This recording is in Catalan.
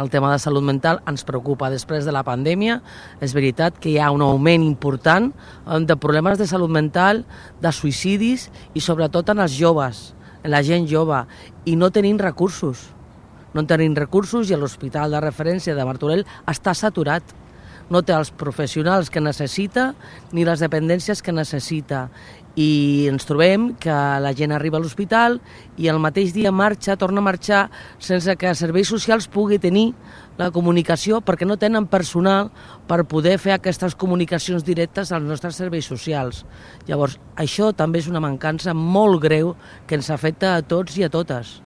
El tema de salut mental ens preocupa. Després de la pandèmia, és veritat que hi ha un augment important de problemes de salut mental, de suïcidis i sobretot en els joves, en la gent jove, i no tenim recursos. No tenim recursos i l'hospital de referència de Martorell està saturat. No té els professionals que necessita ni les dependències que necessita. I ens trobem que la gent arriba a l'hospital i el mateix dia torna a marxar sense que els serveis socials pugui tenir la comunicació perquè no tenen personal per poder fer aquestes comunicacions directes als nostres serveis socials. Llavors, això també és una mancança molt greu que ens afecta a tots i a totes.